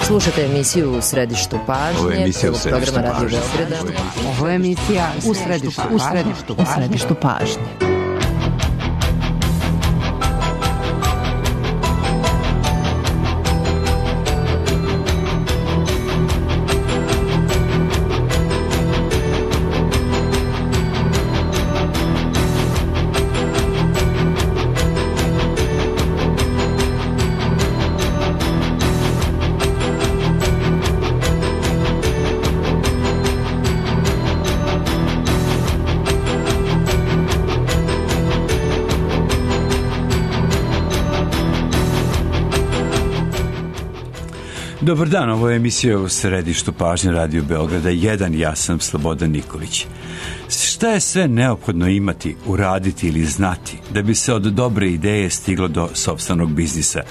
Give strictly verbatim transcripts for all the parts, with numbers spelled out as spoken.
Slušate emisiju U središtu pažnje. Ovo je emisija U središtu programa Radio pažnje. Beograda. Ovo je emisija U središtu, u središtu, u središtu pažnje. Dobar dan, ovo je emisija U središtu pažnje Radio Beograda jedan, ja sam Slobodan Nikolić. Šta je sve neophodno imati, uraditi ili znati da bi se od dobre ideje stiglo do sopstvenog biznisa?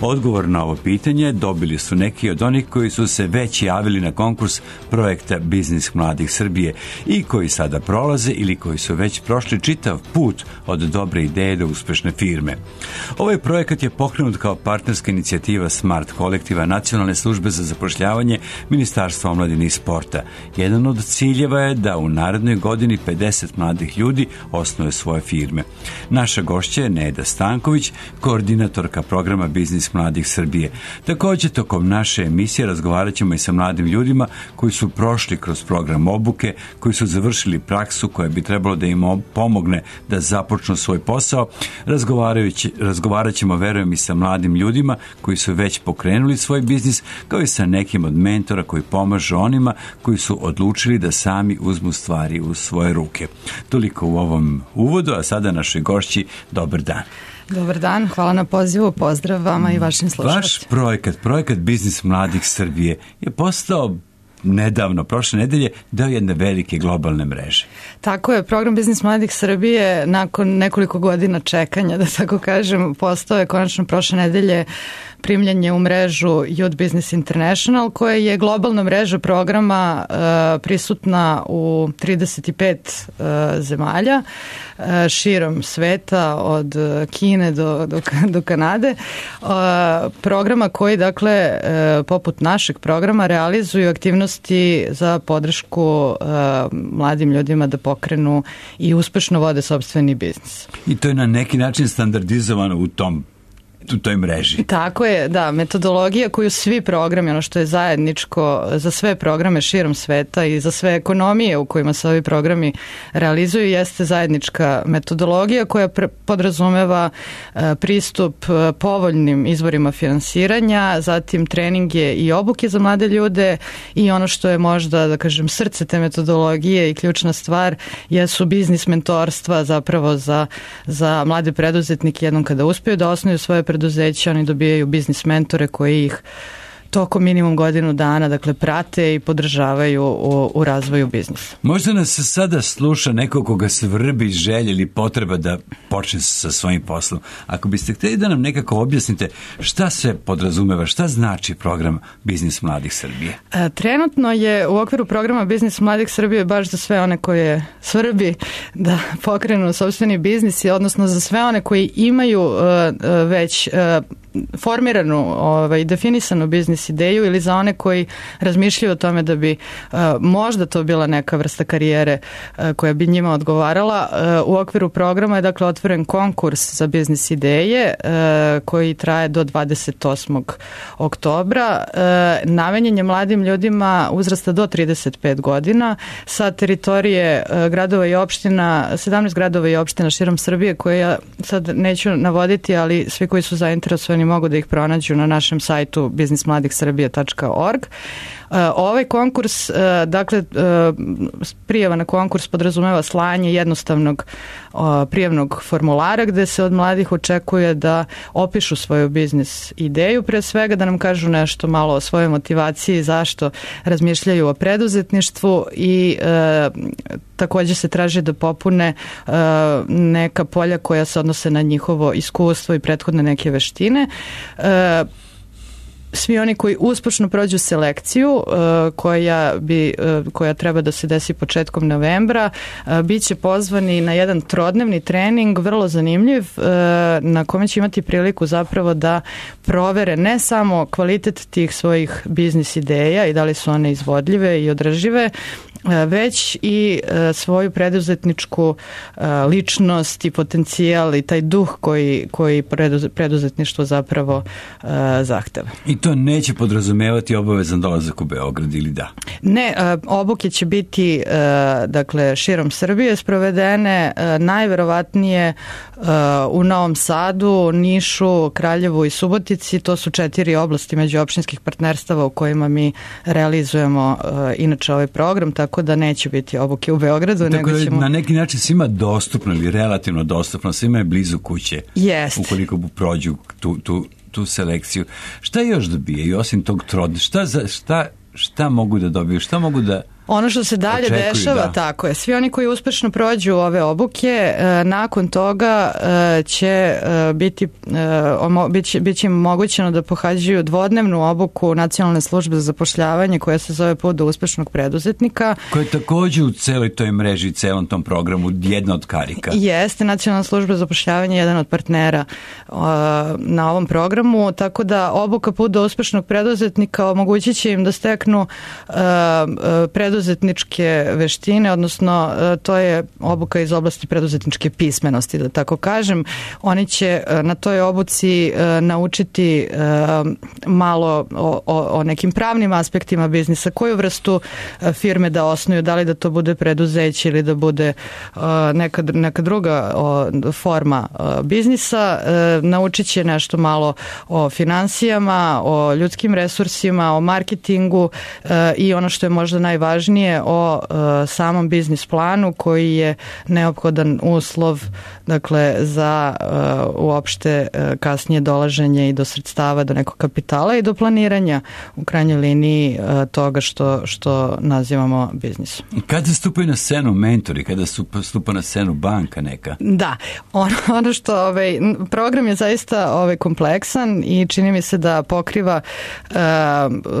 Odgovor na ovo pitanje dobili su neki od onih koji su se već javili na konkurs projekta Biznis mladih Srbije i koji sada prolaze ili koji su već prošli čitav put od dobre ideje do uspešne firme. Ovaj projekat je pokrenut kao partnerska inicijativa Smart kolektiva Nacionalne službe za zapošljavanje Ministarstva omladine i sporta. Jedan od ciljeva je da u narednoj godini pedeset mladih ljudi osnuje svoje firme. Naša gošća je Neda Stanković, koordinatorka programa Biznis mladih Srbije. Također, tokom naše emisije razgovarat ćemo i sa mladim ljudima koji su prošli kroz program obuke, koji su završili praksu koja bi trebalo da im pomogne da započnu svoj posao. Razgovarajući, razgovarat ćemo, verujem, i sa mladim ljudima koji su već pokrenuli svoj biznis, kao i sa nekim od mentora koji pomažu onima koji su odlučili da sami uzmu stvari u svoje ruke. Toliko u ovom uvodu, a sada našoj gošći, dobar dan. Dobar dan, hvala na pozivu, pozdrav vama i vašim slušalcima. Vaš projekat, projekat Biznis mladih Srbije je postao nedavno, prošle nedelje, deo jedne velike globalne mreže. Tako je, program Biznis mladih Srbije nakon nekoliko godina čekanja, da tako kažem, postao je konačno prošle nedelje primljanje u mrežu Youth Business International, koja je globalna mreža programa uh, prisutna u trideset pet uh, zemalja uh, širom sveta, od Kine do, do, do Kanade. Uh, programa koji, dakle, uh, poput našeg programa realizuju aktivnosti za podršku uh, mladim ljudima da pokrenu i uspešno vode sopstveni biznis. I to je na neki način standardizovano u tom u toj mreži. Tako je, da, metodologija koju svi programi, ono što je zajedničko za sve programe širom sveta i za sve ekonomije u kojima se ovi programi realizuju, jeste zajednička metodologija koja pre- podrazumeva e, pristup e, povoljnim izvorima finansiranja, zatim treninge i obuke za mlade ljude i ono što je možda, da kažem, srce te metodologije i ključna stvar jesu biznis mentorstva zapravo za, za mlade preduzetnike. Jednom kada uspiju da osnuju svoje preduzeća, oni dobijaju biznis mentore koji ih tokom minimum godinu dana, dakle, prate i podržavaju u, u razvoju biznisa. Možda nas sada sluša neko koga se vrbi želja ili potreba da počne sa svojim poslom. Ako biste htjeli da nam nekako objasnite šta se podrazumeva, šta znači program Biznis mladih Srbije? E, trenutno je u okviru programa Biznis mladih Srbije baš za sve one koje svrbi da pokrenu sopstveni biznis, odnosno za sve one koji imaju uh, već uh, formiranu, ovaj, definisanu biznis ideju ili za one koji razmišljaju o tome da bi uh, možda to bila neka vrsta karijere uh, koja bi njima odgovarala. Uh, u okviru programa je, dakle, otvoren konkurs za biznis ideje uh, koji traje do dvadeset osmog oktobra. Uh, namenjen je mladim ljudima uzrasta do trideset pet godina sa teritorije uh, gradova i opština, sedamnaest gradova i opština širom Srbije, koje ja sad neću navoditi, ali svi koji su zainteresovani mogu da ih pronađu na našem sajtu biznis mladih srbije tačka org. Ovaj konkurs, dakle, prijava na konkurs podrazumeva slanje jednostavnog prijavnog formulara gde se od mladih očekuje da opišu svoju biznis ideju, pre svega da nam kažu nešto malo o svojoj motivaciji, zašto razmišljaju o preduzetništvu i e, također se traži da popune e, neka polja koja se odnose na njihovo iskustvo i prethodne neke veštine. E, svi oni koji uspešno prođu selekciju uh, koja, bi, uh, koja treba da se desi početkom novembra, uh, bit će pozvani na jedan trodnevni trening, vrlo zanimljiv, uh, na kome će imati priliku zapravo da provere ne samo kvalitet tih svojih biznis ideja i da li su one izvodljive i održive, već i svoju preduzetničku ličnost i potencijal i taj duh koji, koji preduzetništvo zapravo zahteva. I to neće podrazumevati obavezan dolazak u Beograd ili da? Ne, obuke će biti dakle širom Srbije sprovedene, najverovatnije u Novom Sadu, Nišu, Kraljevu i Subotici. To su četiri oblasti međuopštinskih partnerstava u kojima mi realizujemo inače ovaj program, tako da neće biti obuke u Beogradu. Tako nego ćemo... na neki način svima dostupno ili relativno dostupno, svima je blizu kuće. Jest. Ukoliko prođu tu, tu, tu selekciju. Šta još dobijaju osim tog trod? Šta, za, šta, šta mogu da dobiju? Šta mogu da... Ono što se dalje očekuju, dešava, da. tako je, svi oni koji uspešno prođu ove obuke, e, nakon toga e, će e, biti, e, omo, bit će, bit će im omogućeno da pohađaju dvodnevnu obuku Nacionalne službe za zapošljavanje koja se zove Put do uspešnog preduzetnika. Koja je također u celoj toj mreži, celom tom programu jedna od karika. Jeste, Nacionalna služba za zapošljavanje je jedan od partnera e, na ovom programu, tako da obuka Put do uspešnog preduzetnika omogućit će im da steknu e, preduzetnika preduzetničke veštine, odnosno to je obuka iz oblasti preduzetničke pismenosti, da tako kažem. Oni će na toj obuci naučiti malo o, o, o nekim pravnim aspektima biznisa, koju vrstu firme da osnuju, da li da to bude preduzeće ili da bude neka, neka druga forma biznisa. Naučit će nešto malo o finansijama, o ljudskim resursima, o marketingu i ono što je možda najvažnije o uh, samom biznis planu koji je neophodan uslov dakle za uh, uopšte uh, kasnije dolaženje i do sredstava, do nekog kapitala i do planiranja u krajnjoj liniji uh, toga što, što nazivamo biznisom. Kada stupaju na scenu mentori, kada stupa na scenu banka neka? Da, ono, ono što ovaj, program je zaista ovaj, kompleksan i čini mi se da pokriva uh,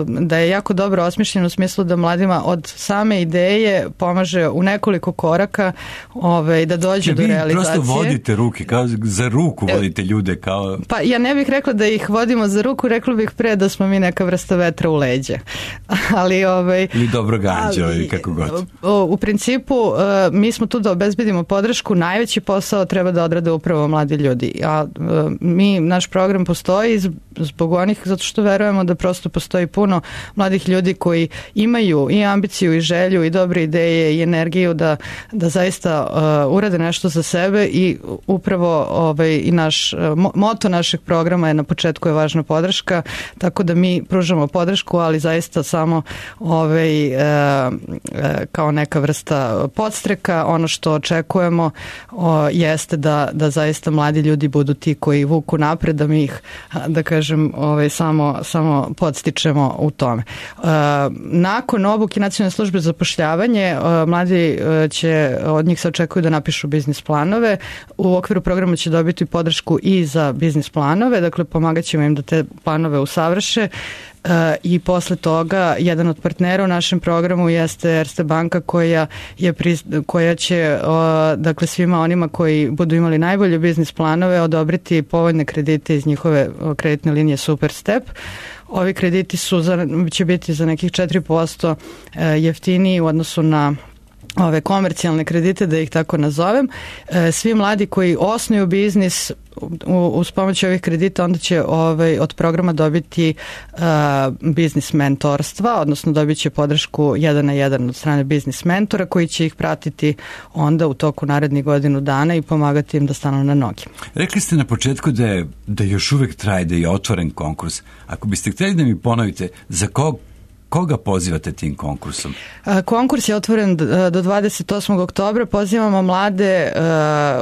da je jako dobro osmišljen u smislu da mladima od same ideje pomaže u nekoliko koraka ovaj, da dođe do realizacije. Vi prosto vodite ruke, kao za ruku vodite ljude. Kao... Pa ja ne bih rekla da ih vodimo za ruku, rekla bih pre da smo mi neka vrsta vetra u leđe. ali, ovaj, Ili dobro ganđa, ili kako god. U principu mi smo tu da obezbedimo podršku, najveći posao treba da odrade upravo mladi ljudi. A mi, naš program postoji zbog onih, zato što verujemo da prosto postoji puno mladih ljudi koji imaju i ambiciju i želju i dobre ideje i energiju da, da zaista uh, urade nešto za sebe i upravo ovaj, i naš, mo, moto našeg programa je na početku je važna podrška, tako da mi pružamo podršku, ali zaista samo ovaj, uh, uh, kao neka vrsta podstreka. Ono što očekujemo uh, jeste da, da zaista mladi ljudi budu ti koji vuku napred, da mi ih, da kažem, ovaj, samo, samo podstičemo u tome. Uh, nakon obuke Nacionalne službe za zapošljavanje, mladi će, od njih se očekuju da napišu biznis planove. U okviru programa će dobiti podršku i za biznis planove, dakle pomagat ćemo im da te planove usavrše. I posle toga jedan od partnera u našem programu jeste Erste banka koja, je, koja će dakle svima onima koji budu imali najbolje biznis planove odobriti povoljne kredite iz njihove kreditne linije Superstep. Ovi krediti su za, će biti za nekih četiri posto jeftiniji u odnosu na ove komercijalne kredite, da ih tako nazovem. Svi mladi koji osnuju biznis uz pomoć ovih kredita onda će ovaj, od programa dobiti uh, biznis mentorstva, odnosno dobit će podršku jedan na jedan od strane biznis mentora koji će ih pratiti onda u toku narednih godinu dana i pomagati im da stanu na noge. Rekli ste na početku da je, da još uvek traje, da je otvoren konkurs. Ako biste htjeli da mi ponovite za kog koga pozivate tim konkursom? Konkurs je otvoren do dvadeset osmog oktobra. Pozivamo mlade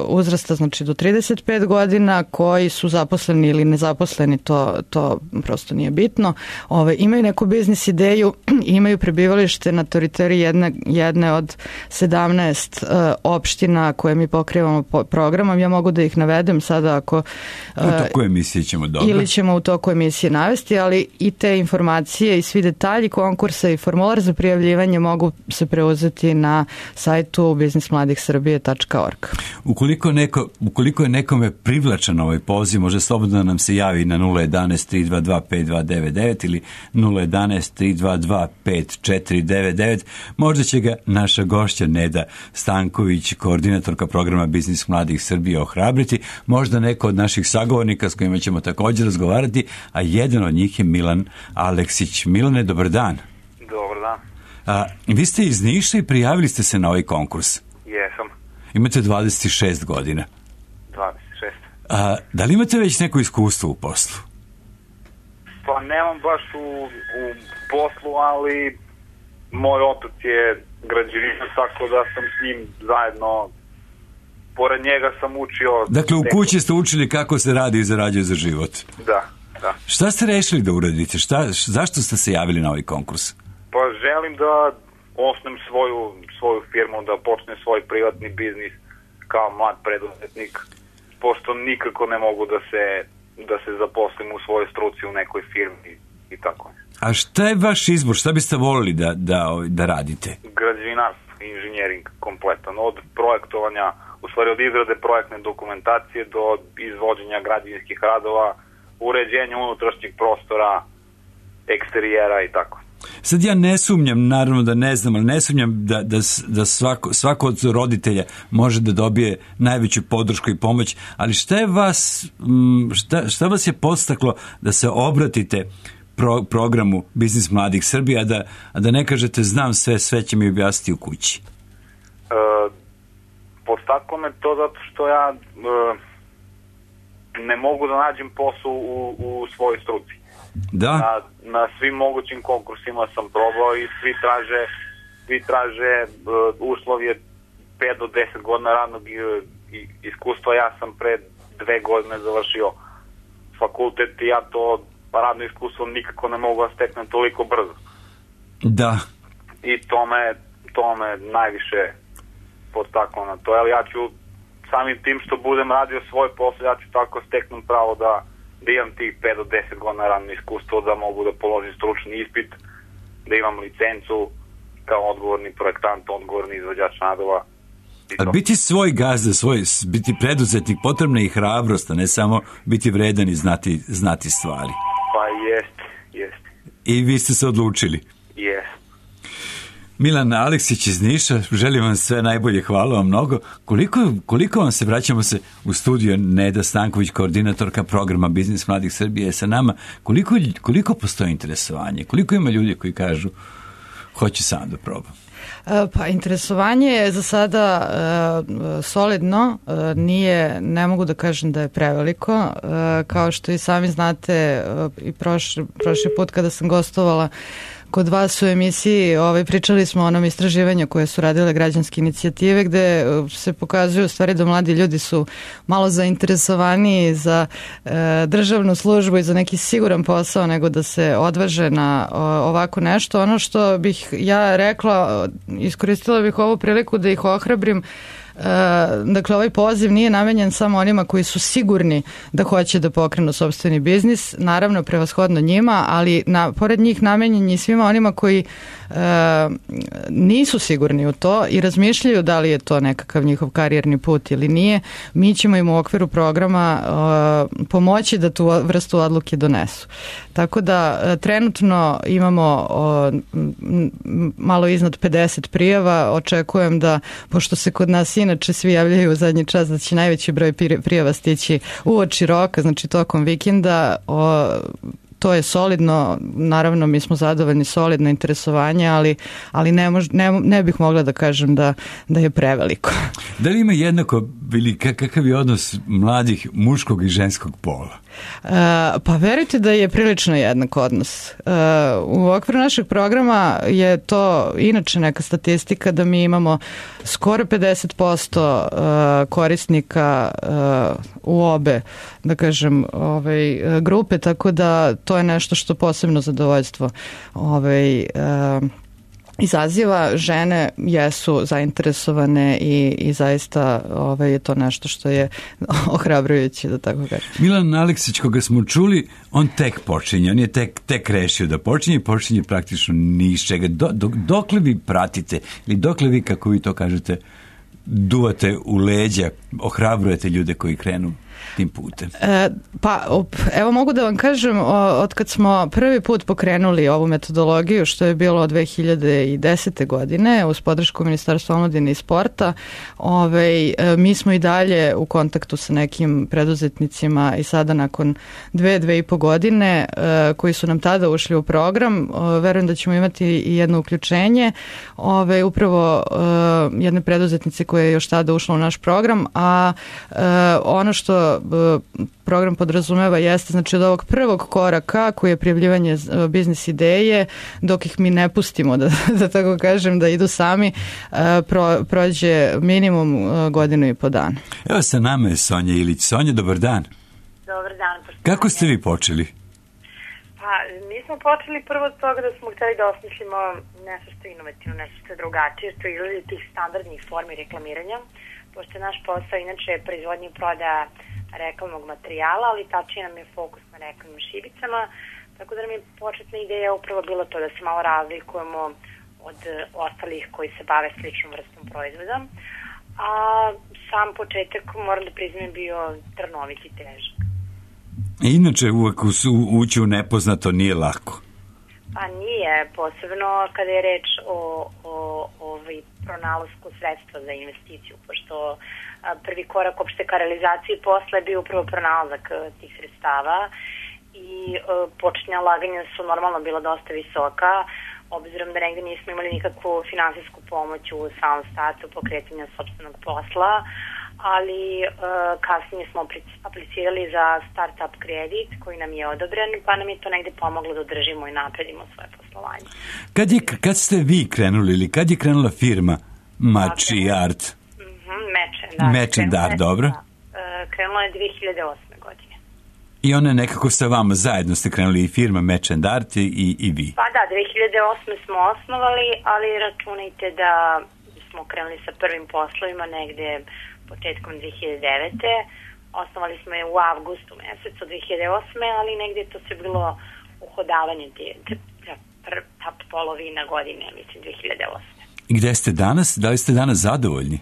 uzrasta, znači do trideset pet godina, koji su zaposleni ili nezaposleni, to, to prosto nije bitno. Ove, imaju neku biznis ideju, imaju prebivalište na teritoriji jedne, jedne od sedamnaest uh, opština koje mi pokrivamo po programom. Ja mogu da ih navedem sada ako... Uh, u toku emisije ćemo dobro. Ili ćemo u toku emisije navesti, ali i te informacije i svi detalji konkursa i formular za prijavljivanje mogu se preuzeti na sajtu biznis mladih srbije tačka org. Ukoliko, neko, ukoliko je nekome privlačan ovaj poziv, može slobodno nam se javi na nula jedanaest tri dva dva pet dva devet devet ili nula jedanaest tri dva dva pet četiri devet devet. Možda će ga naša gošća Neda Stanković, koordinatorka programa Biznis mladih Srbije, ohrabriti. Možda neko od naših sagovornika s kojima ćemo također razgovarati, a jedan od njih je Milan Aleksić. Milane, dobar dan. Dobar dan. A, vi ste iz Niša i prijavili ste se na ovaj konkurs. Jesam. Imate dvadeset šest godina. dvadeset šest. A, da li imate već neko iskustvo u poslu? Pa nemam baš u, u poslu, ali moj otac je građevinar, tako da sam s njim zajedno, pored njega sam učio... Dakle, u kući ste učili kako se radi i zarađuje za život. Da, da. Šta ste rešili da uradite? Šta, zašto ste se javili na ovaj konkurs? Pa želim da osnem svoju, svoju firmu, da počnem svoj privatni biznis kao mlad preduzetnik, pošto nikako ne mogu da se, da se zaposlim u svojoj struci u nekoj firmi i tako. A šta je vaš izbor? Šta biste volili da, da, da radite? Građevinarstvo, inženjering kompletan, od projektovanja, u stvari od izrade projektne dokumentacije do izvođenja građevinskih radova, uređenja unutrašnjeg prostora, eksterijera i tako. Sad ja ne sumnjam, naravno da ne znam, ali ne sumnjam da, da, da svako, svako od roditelja može da dobije najveću podršku i pomoć, ali šta je vas, šta, šta vas je podstaklo da se obratite pro, programu Biznis mladih Srbije, a da, a da ne kažete znam sve, sve će mi objasniti u kući? E, podstaklo me to zato što ja e, ne mogu da nađem posao u, u svojoj struci. Da? Na, na svim mogućim konkursima sam probao i svi traže, svi traže uh, uslov je pet do deset godina radnog uh, iskustva. Ja sam pre dve godine završio fakultet i ja to radno iskustvo nikako ne mogu da steknem toliko brzo. Da. I to me, to me najviše podstaklo na to. Ali ja ću samim tim što budem radio svoj posao, ja ću tako steknem pravo da da imam tih pet do deset godina radno iskustvo, da mogu da položim stručni ispit, da imam licencu kao odgovorni projektant, odgovorni izvođač radova. A biti svoj gazda, svoj, biti preduzetnik, potrebna je i hrabrost, a ne samo biti vredan i znati, znati stvari. Pa jest, jest. I vi ste se odlučili? Jest. Milan Aleksić iz Niša, želim vam sve najbolje, hvala vam mnogo. Koliko, koliko vam se, vraćamo se u studio, Neda Stanković, koordinatorka programa Biznis mladih Srbije, je sa nama. Koliko, koliko postoji interesovanje? Koliko ima ljudi koji kažu hoću sam da probam? Pa interesovanje je za sada e, solidno, e, nije, ne mogu da kažem da je preveliko, e, kao što i sami znate e, i prošli, prošli put kada sam gostovala kod vas u emisiji, ovaj, pričali smo o onom istraživanju koje su radile građanske inicijative, gde se pokazuju u stvari da mladi ljudi su malo zainteresovaniji za e, državnu službu i za neki siguran posao nego da se odvaže na o, ovako nešto. Ono što bih ja rekla, iskoristila bih ovu priliku da ih ohrabrim. Uh, dakle, ovaj poziv nije namenjen samo onima koji su sigurni da hoće da pokrenu sopstveni biznis, naravno prevashodno njima, ali na, pored njih namenjen je svima onima koji uh, nisu sigurni u to i razmišljaju da li je to nekakav njihov karijerni put ili nije. Mi ćemo im u okviru programa uh, pomoći da tu vrstu odluke donesu. Tako da uh, trenutno imamo uh, malo iznad pedeset prijava, očekujem da, pošto se kod nas inače svi javljaju u zadnji čas, da će najveći broj prijava stići uoči roka, znači tokom vikenda, o, to je solidno, naravno mi smo zadovoljni, solidno interesovanje, ali, ali ne, mož, ne, ne bih mogla da kažem da, da je preveliko. Da li ima jednako, ili kakav je odnos mladih muškog i ženskog pola? Uh, pa verujte da je prilično jednak odnos. Uh, u okviru našeg programa je to inače neka statistika da mi imamo skoro pedeset posto uh, korisnika uh, u obe, da kažem, ovaj, grupe, tako da to je nešto što posebno zadovoljstvo ovaj, uh, izaziva. Žene jesu zainteresovane i, i zaista ovaj, je to nešto što je ohrabrujuće, da tako kažem. Milan Aleksić, koga smo čuli, on tek počinje, on je tek, tek rešio da počinje i počinje praktično ni iz čega. Do, do, dokle vi pratite ili dokle vi, kako vi to kažete, duvate u leđa, ohrabrujete ljude koji krenu tim putem? E, pa, op, evo mogu da vam kažem, od kad smo prvi put pokrenuli ovu metodologiju, što je bilo od dve hiljade desete. godine, uz podršku Ministarstva omladine i sporta, ovaj, mi smo i dalje u kontaktu sa nekim preduzetnicima i sada nakon dve, dve i po godine koji su nam tada ušli u program, verujem da ćemo imati i jedno uključenje, ovaj, upravo jedne preduzetnice koje je još tada ušla u naš program, a ono što program podrazumeva jeste, znači od ovog prvog koraka koji je prijavljivanje biznis ideje, dok ih mi ne pustimo, da, da tako kažem, da idu sami, pro, prođe minimum godinu i po dana. Evo sa nama je Sonja Ilić. Sonja, dobar dan. Dobar dan. Kako ste vi počeli? Pa, mi smo počeli prvo od toga da smo htjeli da osmislimo nešto što je inovativno, nešto što je drugačije, što izgleda tih standardnih formi reklamiranja, pošto je naš posao inače proizvodnje i prodaja reklamnog materijala, ali tačnije nam je fokus na reklamnim šibicama, tako da nam je početna ideja upravo bilo to da se malo razlikujemo od ostalih koji se bave sličnom vrstom proizvoda, a sam početak, moram da priznam, bio trnovit i težak. Inače, uvek ući u nepoznato nije lako. Pa nije, posebno kada je reč o, o, o pronalasku sredstva za investiciju, pošto prvi korak opšte ka realizaciji posla je bio upravo pronalazak tih sredstava i početnja ulaganja su normalno bila dosta visoka, obzirom da negde nismo imali nikakvu finansijsku pomoć u samom startu pokretanja sopstvenog posla, ali kasnije smo aplicirali za start-up kredit koji nam je odobren, pa nam je to negde pomoglo da održimo i napredimo svoje poslovanje. Kad, je, kad ste vi krenuli ili kad je krenula firma Mači Art? Match and Art, dobro. Krenula je dve hiljade osme. godine. I ona nekako sa vama zajedno ste krenuli i firma Match and Art i, i vi? Pa da, dve hiljade osme. smo osnovali, ali računajte da smo krenuli sa prvim poslovima negde početkom dve hiljade devete. Osnovali smo je u avgustu mesecu dve hiljade osme. ali negde to se bilo uhodavanje te, te, ta polovina godine, mislim, dve hiljade osme. I gde ste danas? Da li ste danas zadovoljni?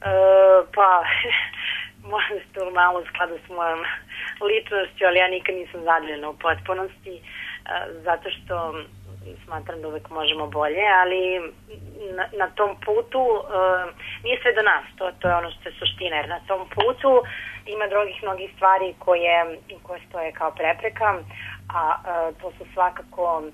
Uh, pa, možda to malo u skladu s mojom ličnošću, ali ja nikad nisam zadovoljna u potpunosti, uh, zato što smatram da uvek možemo bolje, ali na, na tom putu uh, nije sve do nas, to, to je ono što je suština, jer na tom putu ima drugih mnogih stvari koje, koje stoje kao prepreka, a uh, to su svakako uh,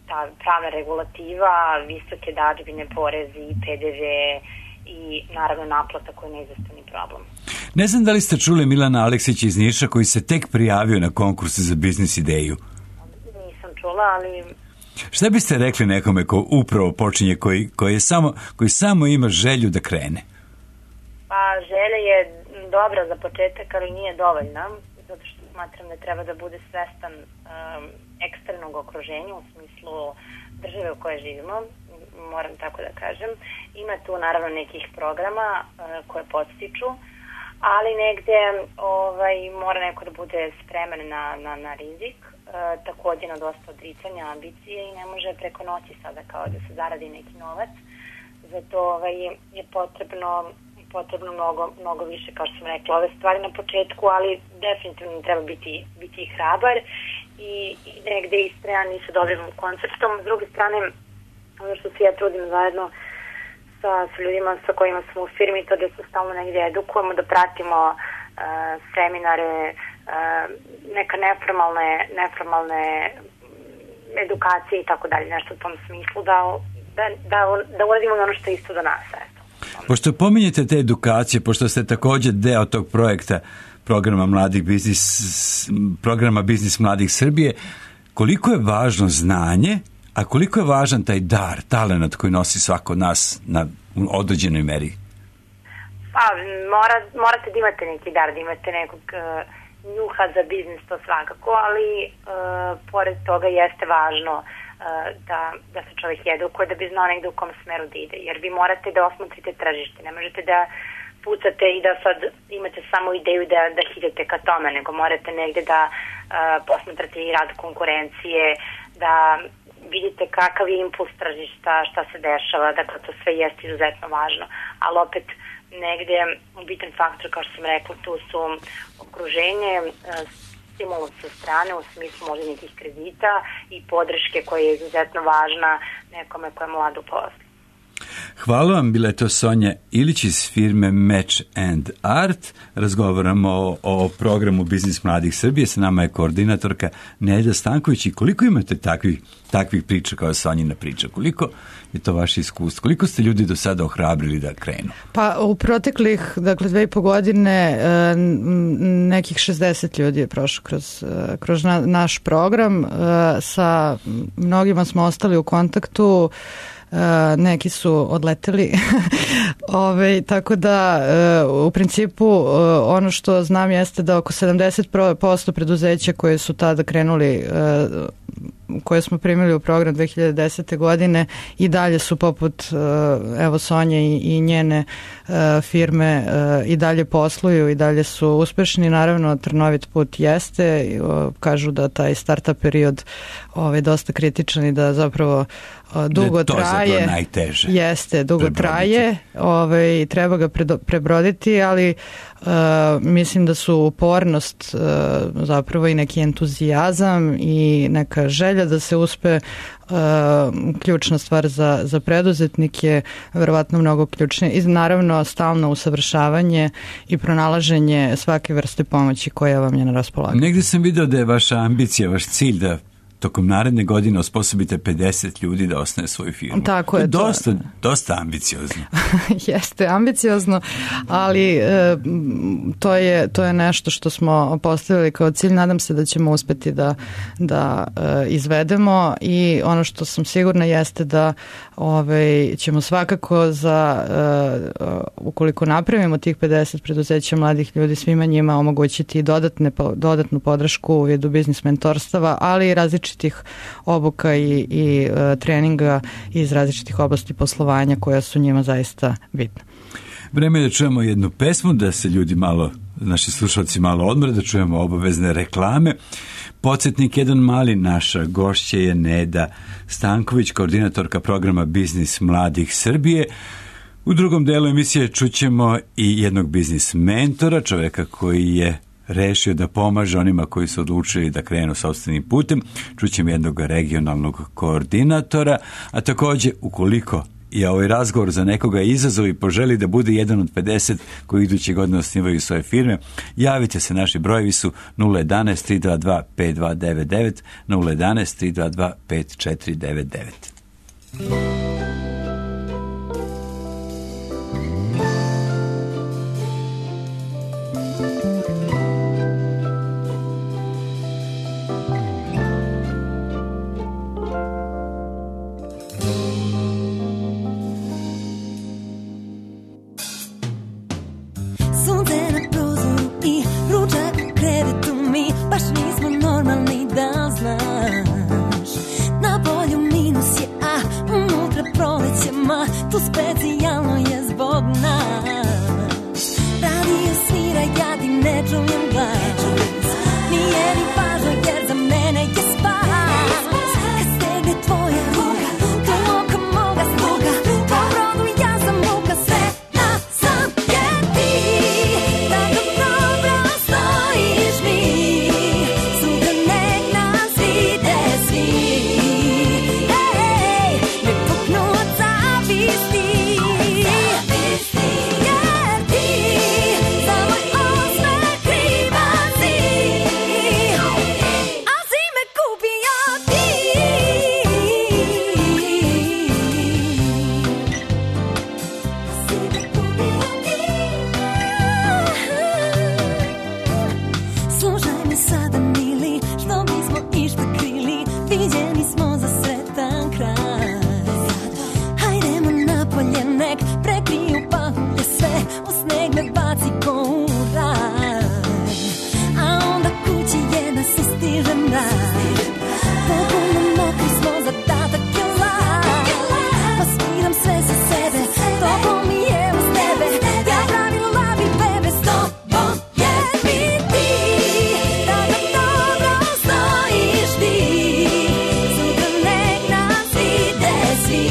ta pravna regulativa, visoke dažbine, porezi, pe de ve i naravno naplata koja je neizostavni problem. Ne znam da li ste čuli Milana Aleksića iz Niša koji se tek prijavio na konkurs za biznis ideju. Nisam čula, ali... Šta biste rekli nekome ko upravo počinje, koji, koji, je samo, koji samo ima želju da krene? Pa želja je dobra za početak, ali nije dovoljna, zato što smatram da treba da bude svestan um, eksternog okruženja u smislu države u kojoj živimo, moram tako da kažem. Ima tu naravno nekih programa uh, koje podstiču, ali negde ovaj, mora neko da bude spreman na, na, na rizik, uh, takođe na dosta odricanja, ambicije i ne može preko noći sada kao da se zaradi neki novac. Zato ovaj, je potrebno potrebno mnogo, mnogo više, kao što sam rekla, ove stvari na početku, ali definitivno treba biti, biti hrabar i, i negde istrajan i sa dobrim konceptom. S druge strane, ono što se ja trudim zajedno sa, sa ljudima sa kojima smo u firmi, to da se stalno negde edukujemo, da pratimo uh, seminare, uh, neka neformalne, neformalne edukacije i tako dalje, nešto u tom smislu da, da, da, da uradimo ono što je isto do nas. Eto. Pošto pominjete te edukacije, pošto ste također deo tog projekta programa Mladih biznis, programa Biznis Mladih Srbije, koliko je važno znanje, a koliko je važan taj dar, talenat koji nosi svako od nas na određenoj meri? Pa, mora, morate da imate neki dar, da imate nekog uh, njuha za biznis, to svakako, ali uh, pored toga jeste važno uh, da, da se čovjek edukuje da bi znao negde u kom smeru da ide, jer vi morate da osmotrite tržište, ne možete da pucate i da sad imate samo ideju da, da idete ka tome, nego morate negde da uh, posmatrate i rad konkurencije, da vidite kakav je impuls tržišta, šta se dešava, dakle to sve jeste izuzetno važno, ali opet negde bitan faktor, kao što sam rekla, tu su okruženje, stimulus sa strane u smislu možda nekih kredita i podrške koja je izuzetno važna nekome koja je mlad u poslu. Hvala vam, bila je to Sonja Ilić iz firme Match and Art. Razgovaramo o, o programu Biznis Mladih Srbije, sa nama je koordinatorka Nelja Stanković. I koliko imate takvih, takvih priča kao Sonjina priča? Koliko je to vaše iskustvo? Koliko ste ljudi do sada ohrabrili da krenu? Pa u proteklih, dakle, dve i po godine nekih šezdeset ljudi je prošlo kroz, kroz naš program. Sa mnogima smo ostali u kontaktu. Uh, neki su odleteli Ove, tako da uh, u principu uh, ono što znam jeste da oko sedamdeset posto preduzeća koje su tada krenuli uh, koje smo primili u program dve hiljade desete godine i dalje su poput uh, evo Sonje i, i njene uh, firme uh, i dalje posluju i dalje su uspešni. Naravno trnovit put jeste, uh, kažu da taj startup period ovaj, dosta kritičan i da zapravo uh, dugo to traje. Najteže. Jeste, dugo prebroditi. traje, ovaj, treba ga prebroditi, ali uh, mislim da su upornost uh, zapravo i neki entuzijazam i neka želja da se uspe uh, ključna stvar za, za preduzetnike, verovatno mnogo ključnije i naravno stalno usavršavanje i pronalaženje svake vrste pomoći koja vam je na raspolaganju. Negdje sam video da je vaša ambicija, vaš cilj da tokom naredne godine osposobite pedeset ljudi da osnuje svoju firmu. Tako je. To je dosta, to... dosta ambiciozno. Jeste, ambiciozno, ali e, to, je, to je nešto što smo postavili kao cilj. Nadam se da ćemo uspeti da, da e, izvedemo i ono što sam sigurna jeste da ovaj, ćemo svakako za, e, ukoliko napravimo tih pedeset preduzeća mladih ljudi, svima njima omogućiti dodatne, dodatnu podršku u vidu biznis mentorstava, ali i različitih obuka i, i uh, treninga iz različitih oblasti poslovanja koja su njima zaista bitna. Vreme je da čujemo jednu pesmu, da se ljudi malo, naši slušalci malo odmore, da čujemo obavezne reklame. Podsjetnik jedan mali, naša gošća je Neda Stanković, koordinatorka programa Biznis Mladih Srbije. U drugom delu emisije čućemo i jednog biznis mentora, čoveka koji je rešio da pomaže onima koji su odlučili da krenu sopstvenim putem. Čućemo jednog regionalnog koordinatora, a također ukoliko je ovaj razgovor za nekoga izazov i poželi da bude jedan od pedeset koji iduće godine osnivaju svoje firme, javite se, naši brojevi su nula jedanaest tri dva dva pet dva devet devet, nula jedanaest tri dva dva pet četiri devet devet. Tu specijalno je zbog nas. Radio svira, ja ti ne čujem glas. Nije ni važno jer za mene Slušaj mi sada, mili, što bismo išta krili, viđeni smo za sretan kraj. Hajdemo napolje, nek prekriju pahulje sve, u sneg me baci ko u raj. A onda kući je da se stiže mrak, potpuno mokri smo za tatak je lak. Pa sviram sve za sebe, toplo mi je uz tebe, ja pravim labi bebe s tobom, jer mi ti tada dobro stojiš ti. Sutra nek nas vide svi,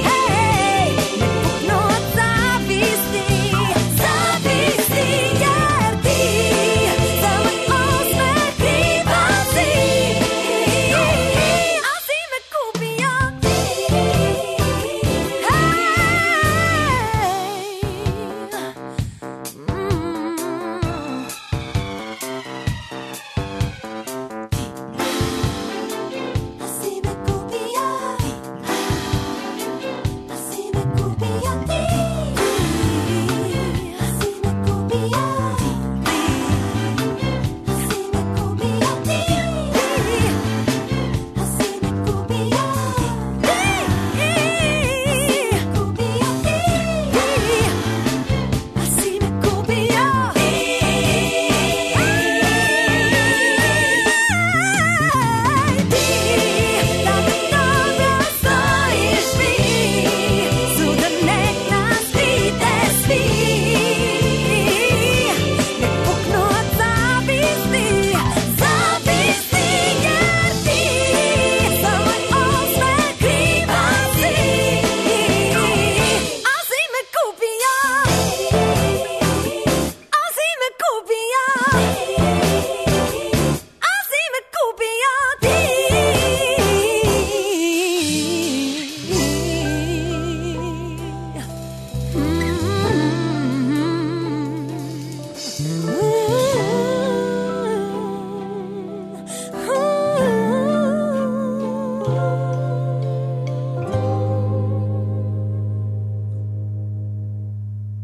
hej, nek puknu od zavisti, zavisti, jer ti za moj osmeh kriva si, a si me kupio ti, hej. A si me kupio, a si me kupio ti, a si me kupio, a si me kupio ti, a si me kupio, a si me kupio.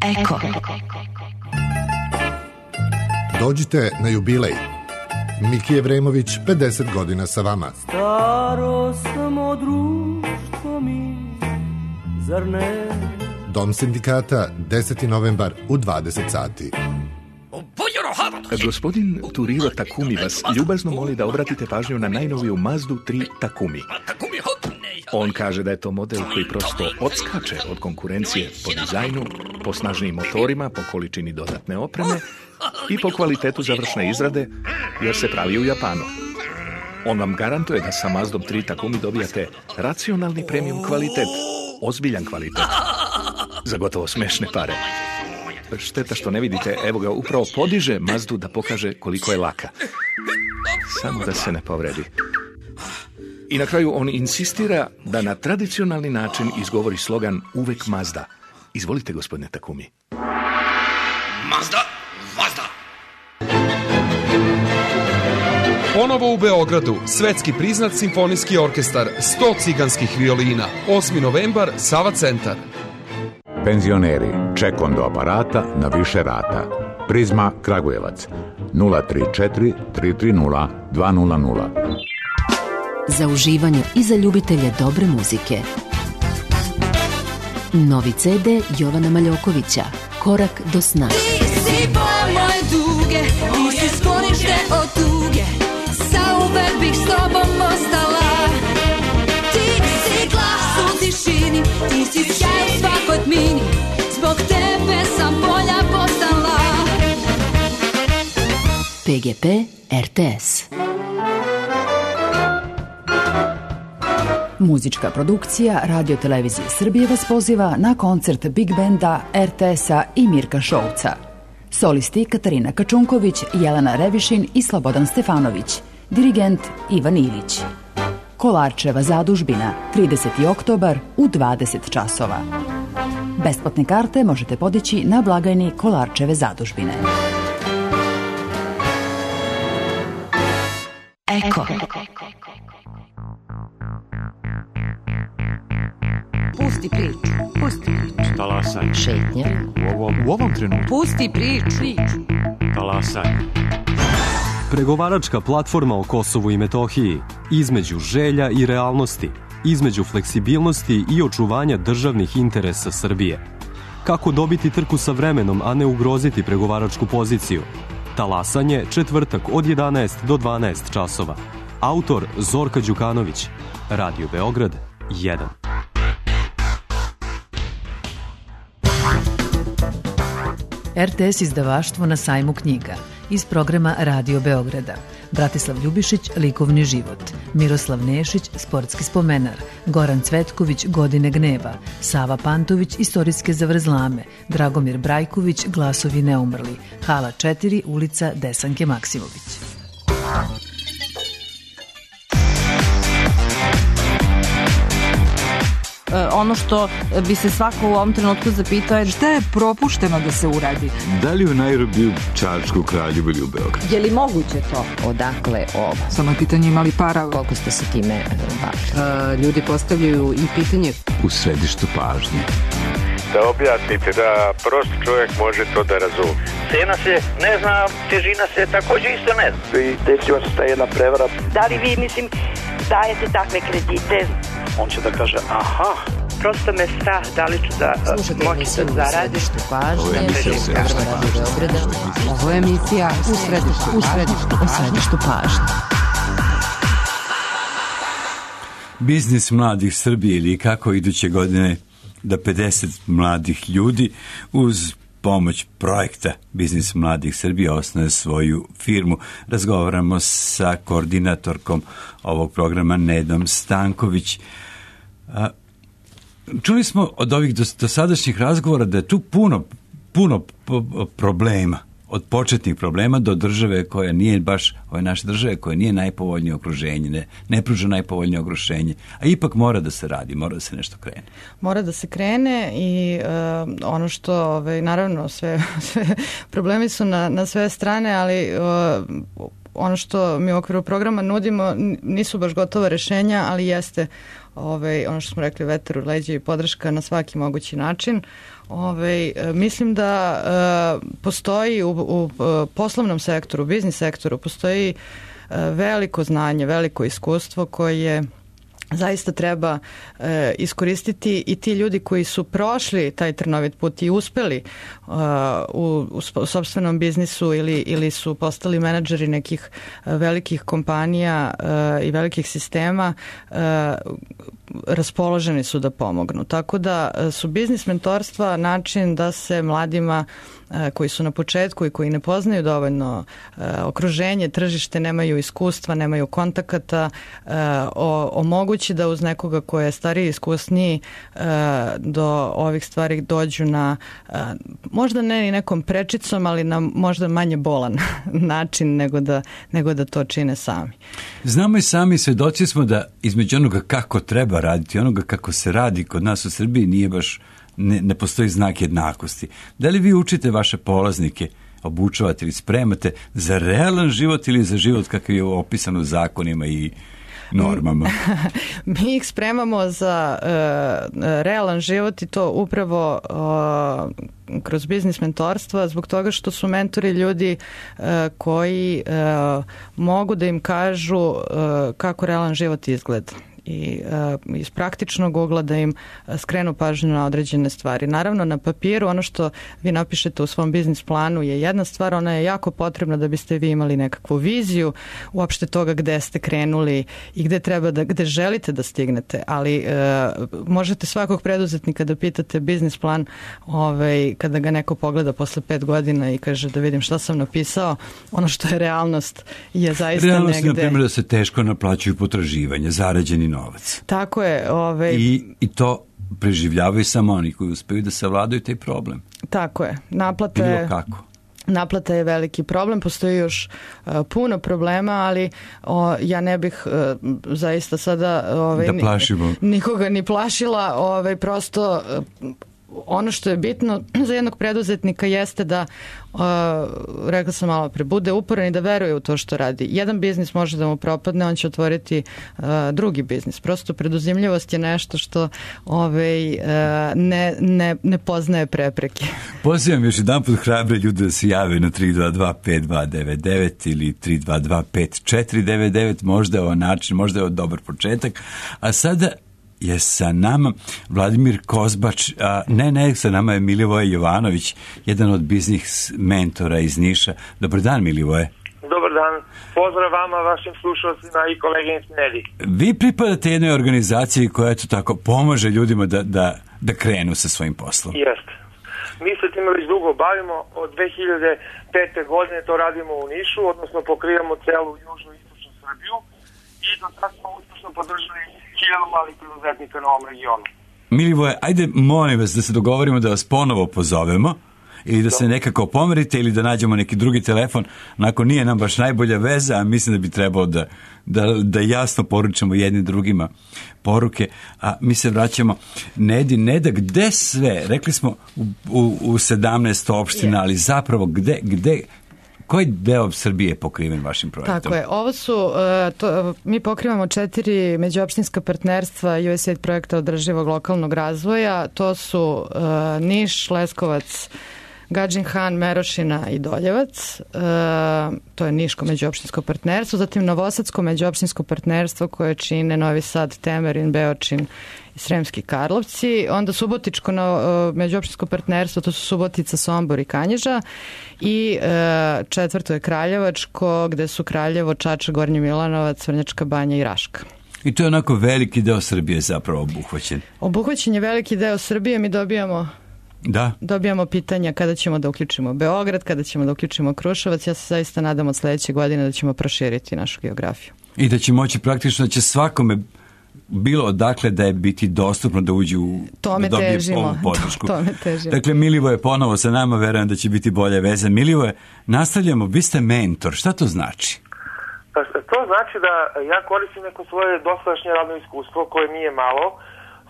Eko. Dođite na jubilej. Miki Evremović, pedeset godina sa vama. Staro samo društvo mi, zar ne? Dom sindikata, deseti novembar u dvadeset sati. Gospodin Turiro Takumi vas ljubazno moli da obratite pažnju na najnoviju Mazdu tri Takumi. On kaže da je to model koji prosto odskače od konkurencije po dizajnu, po snažnijim motorima, po količini dodatne opreme i po kvalitetu završne izrade, jer se pravi u Japanu. On vam garantuje da sa Mazdom tri Takumi dobijate racionalni premium kvalitet, ozbiljan kvalitet, za gotovo smešne pare. Šteta što ne vidite, evo ga, upravo podiže Mazdu da pokaže koliko je laka. Samo da se ne povredi. I na kraju on insistira da na tradicionalni način izgovori slogan uvek Mazda. Izvolite, gospodine Takumi. Mazda, Mazda. Ponovo u Beogradu, svetski priznat simfonijski orkestar, sto ciganskih violina, osmi novembar, Sava centar. Penzioneri, ček do aparata na više rata. Prizma Kragujevac, nula tri četiri tri tri nula dva nula nula. Za uživanje i za ljubitelje dobre muzike. Novi ce de Jovana Maljokovića, Korak do sna. Ti si bol moje duge, ti si sklonište od tuge, zauvek bih s tobom ostala. Ti si glas u tišini, ti si sjaj u svakoj tmini, zbog tebe sam bolja postala. pe ge pe er te es. Muzička produkcija Radio Televizije Srbije vas poziva na koncert Big Benda, er te es-a i Mirka Šolca. Solisti Katarina Kačunković, Jelena Revišin i Slobodan Stefanović. Dirigent Ivan Ilić. Kolarčeva zadužbina, trideseti oktobar u dvadeset časova. Besplatne karte možete podići na blagajni Kolarčeve zadužbine. Eko. Pusti priču, pusti priču. Talasaj. Šetnja. U ovom, u ovom trenutku. Pusti priču. Talasaj. Pregovaračka platforma o Kosovu i Metohiji, između želja i realnosti, između fleksibilnosti i očuvanja državnih interesa Srbije. Kako dobiti trku sa vremenom, a ne ugroziti pregovaračku poziciju? Talasanje, četvrtak od jedanaest do dvanaest časova. Autor Zorka Đukanović. Radio Beograd jedan. er te es izdavaštvo na sajmu knjiga iz programa Radio Beograda. Bratislav Ljubišić, likovni život. Miroslav Nešić, sportski spomenar. Goran Cvetković, godine gneva. Sava Pantović, istorijske zavrzlame. Dragomir Brajković, glasovi neumrli. Hala četiri, ulica Desanke Maksimović. Ono što bi se svako u ovom trenutku zapitao je šta je propušteno da se uradi. Da li u Nairobiju, Čačku, Kraljevu ili u Beogradu? Je li moguće to? Odakle ovo? Samo je pitanje imali para. Koliko ste se time bavili? Uh, ljudi postavljaju i pitanje. U središtu pažnje. Da objasnite, da prost čovjek može to da razumije. Cena se ne zna, težina se također isto ne zna. I desila se ta jedna prevara. Da li vi, mislim, dajete takve kredite? On će da kaže, aha. Prosto me strah, da li ću da moći da zaradim. Ovo je emisija u središtu pažnje. Ovo je emisija u središtu, u središtu, u središtu pažnje. Biznis mladih Srbije ili kako iduće godine da pedeset mladih ljudi uz pomoć projekta Biznis mladih Srbije osnoje svoju firmu. Razgovaramo sa koordinatorkom ovog programa Nedom Stanković. A, čuli smo od ovih dosadašnjih razgovora da je tu puno, puno problema. Od početnih problema do države koja nije baš, ove naše države koja nije najpovoljnije okruženje, ne, ne pruža najpovoljnije okruženje, a ipak mora da se radi, mora da se nešto krene. Mora da se krene i uh, ono što, ovaj, naravno, sve, sve problemi su na, na sve strane, ali uh, ono što mi u okviru programa nudimo nisu baš gotova rešenja, ali jeste ovaj, ono što smo rekli, vetar u leđa i podrška na svaki mogući način. Ovaj, mislim da uh, postoji u, u poslovnom sektoru, biznis sektoru, postoji uh, veliko znanje, veliko iskustvo koje zaista treba e, iskoristiti i ti ljudi koji su prošli taj trnovit put i uspeli uh, u, u sopstvenom biznisu ili, ili su postali menadžeri nekih uh, velikih kompanija uh, i velikih sistema, uh, raspoloženi su da pomognu. Tako da su biznis mentorstva način da se mladima koji su na početku i koji ne poznaju dovoljno okruženje, tržište, nemaju iskustva, nemaju kontakata, omogući da uz nekoga ko je stariji, iskusniji do ovih stvari dođu na možda ne i nekom prečicom, ali na možda manje bolan način nego da, nego da to čine sami. Znamo i sami, svedoci smo da između onoga kako treba raditi, onoga kako se radi kod nas u Srbiji nije baš, ne, ne postoji znak jednakosti. Da li vi učite vaše polaznike, obučavate ili spremate za realan život ili za život kakav je opisan u zakonima i normama? Mi ih spremamo za uh, realan život i to upravo uh, kroz biznis mentorstva, zbog toga što su mentori ljudi uh, koji uh, mogu da im kažu uh, kako realan život izgleda i uh, iz praktičnog ugla da im skrenu pažnju na određene stvari. Naravno, na papiru ono što vi napišete u svom biznis planu je jedna stvar, ona je jako potrebna da biste vi imali nekakvu viziju uopšte toga gde ste krenuli i gde treba da, gde želite da stignete, ali uh, možete svakog preduzetnika da pitate biznis plan ovaj, kada ga neko pogleda posle pet godina i kaže da vidim šta sam napisao, ono što je realnost je zaista realnost negde... Realnost je, na primjer, da se teško naplaćuju potraživanja, zarađeni novac. Tako je. Ovaj... I, I to preživljavaju samo oni koji uspeju da savladaju taj problem. Tako je. Naplata je... Bilo kako. Naplata je veliki problem, postoji još uh, puno problema, ali o, ja ne bih uh, zaista sada ovaj, da plašimo. nikoga ni plašila, ovaj, prosto uh, ono što je bitno za jednog preduzetnika jeste da, uh, rekla sam malo pre, bude uporan i da veruje u to što radi. Jedan biznis može da mu propadne, on će otvoriti uh, drugi biznis. Prosto preduzimljivost je nešto što ovaj, uh, ne, ne, ne poznaje prepreke. Pozivam još jedan put hrabre ljude da se jave na tri dva dva pet dva devet devet ili tri dva dva pet četiri devet devet, možda je ovo način, možda je ovo dobar početak. A sada je sa nama Vladimir Kozbač, a ne, ne, sa nama je Milivoje Jovanović, jedan od biznis mentora iz Niša. Dobar dan, Milivoje. Dobar dan. Pozdrav vama, vašim slušalcima i koleginici Nedi. Vi pripadate jednoj organizaciji koja eto tako pomaže ljudima da, da, da krenu sa svojim poslom. Jeste. Mi se time već dugo bavimo. Od dve hiljade pete. godine to radimo u Nišu, odnosno pokrivamo celu južnu i istočnu Srbiju i do sada smo uspešno podržali hiljadu malih preduzetnika na ovom regionu. Milivoje, ajde molim vas da se dogovorimo da vas ponovo pozovemo ili da se nekako pomerite ili da nađemo neki drugi telefon. Onako nije nam baš najbolja veza, a mislim da bi trebalo da, da, da jasno poručamo jednim drugima poruke. A mi se vraćamo Nedi, Neda, gde sve? Rekli smo u, u, u sedamnaest opština, ali zapravo gde, gde, koji deo Srbije je pokriven vašim projektom? Tako je. Ovo su, uh, to, mi pokrivamo četiri međuopštinska partnerstva U S A I D projekta održivog lokalnog razvoja. To su uh, Niš, Leskovac, Gadžin Han, Merošina i Doljevac. E, to je Niško međuopštinsko partnerstvo. Zatim Novosadsko međuopštinsko partnerstvo koje čine Novi Sad, Temerin, Beočin i Sremski Karlovci. Onda Subotičko no, međuopštinsko partnerstvo, to su Subotica, Sombor i Kanjiža. I e, četvrto je Kraljevačko, gde su Kraljevo, Čačak, Gornji Milanovac, Vrnjačka Banja i Raška. I to je onako veliki deo Srbije zapravo obuhvaćen. Obuhvaćen je veliki deo Srbije. Mi dobijamo Da. Dobijamo pitanja kada ćemo da uključimo Beograd, kada ćemo da uključimo Kruševac. Ja se zaista nadam od sledeće godine da ćemo proširiti našu geografiju. I da će moći praktično, da će svakome bilo odakle da je biti dostupno da uđe u tome da dobije težimo. ovu podršku. Tome težimo. Dakle, Milivoje ponovo sa nama, verujem da će biti bolje veze. Milivoje, nastavljamo, vi ste mentor, šta to znači? Pa, to znači da ja koristim neko svoje dosadašnje radno iskustvo koje nije malo,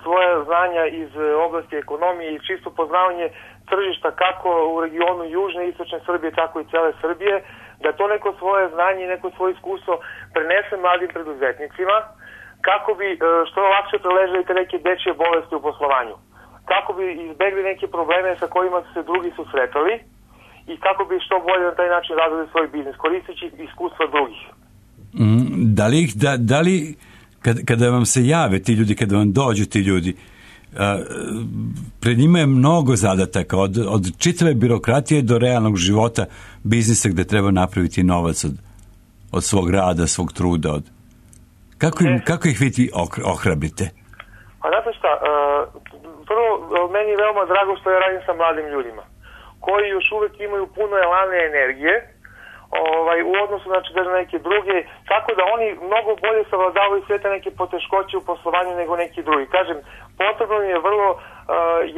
svoje znanja iz oblasti ekonomije i čisto poznavanje tržišta kako u regionu južne i istočne Srbije, tako i cele Srbije, da to neko svoje znanje i neko svoje iskustvo prenese mladim preduzetnicima, kako bi što lakše preležali te neke dečje bolesti u poslovanju, kako bi izbegli neke probleme sa kojima su se drugi susretali i kako bi što bolje na taj način razvili svoj biznis, koristeći iskustva drugih. Mm, da li, da, da li Kad, kada vam se jave ti ljudi, kada vam dođu ti ljudi, a, pred njima je mnogo zadataka, od, od čitave birokratije do realnog života biznisa gde treba napraviti novac od, od svog rada, svog truda. Od... Kako, im, kako ih vi ohrabrite? Pa znate šta, prvo, meni je veoma drago što ja radim sa mladim ljudima, koji još uvek imaju puno elane energije, Ovaj, u odnosu znači, da na neke druge, tako da oni mnogo bolje savladavaju sve te neke poteškoće u poslovanju nego neki drugi. Kažem, potrebno je vrlo uh,